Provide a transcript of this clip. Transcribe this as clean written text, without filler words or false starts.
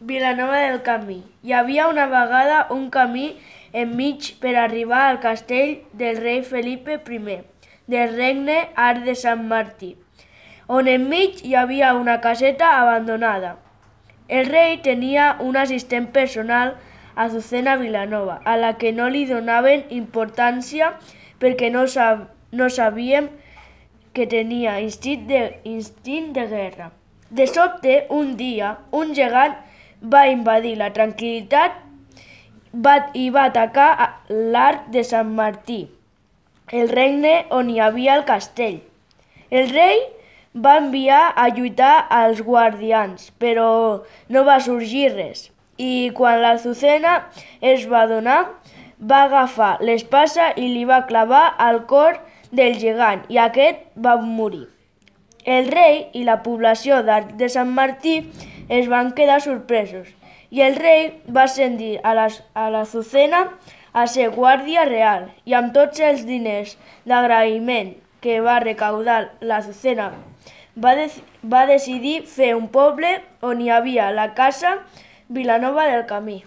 Vilanova del Camí. Hi havia una vegada un camí enmig per arribar al castell del rei Felipe I, del regne Arc de Sant Martí, on enmig hi havia una caseta abandonada. El rei tenia un assistent personal, Azucena Vilanova, a la que no li donaven importància perquè no sabíem que tenia instint de guerra. De sobte, un dia, un gegant va invadir la tranquil·litat i va atacar l'Arc de Sant Martí, el regne on hi havia el castell. El rei va enviar a lluitar als guardians, però no va sorgir res. I quan l'Azucena es va adonar, va agafar l'espasa i li va clavar al cor del gegant i aquest va morir. El rei i la població d'Arc de Sant Martí es van quedar sorpresos i el rei va ascendir a l'Azucena a ser guàrdia real i amb tots els diners d'agraïment que va recaudar l'Azucena va decidir fer un poble on hi havia la casa Vilanova del Camí.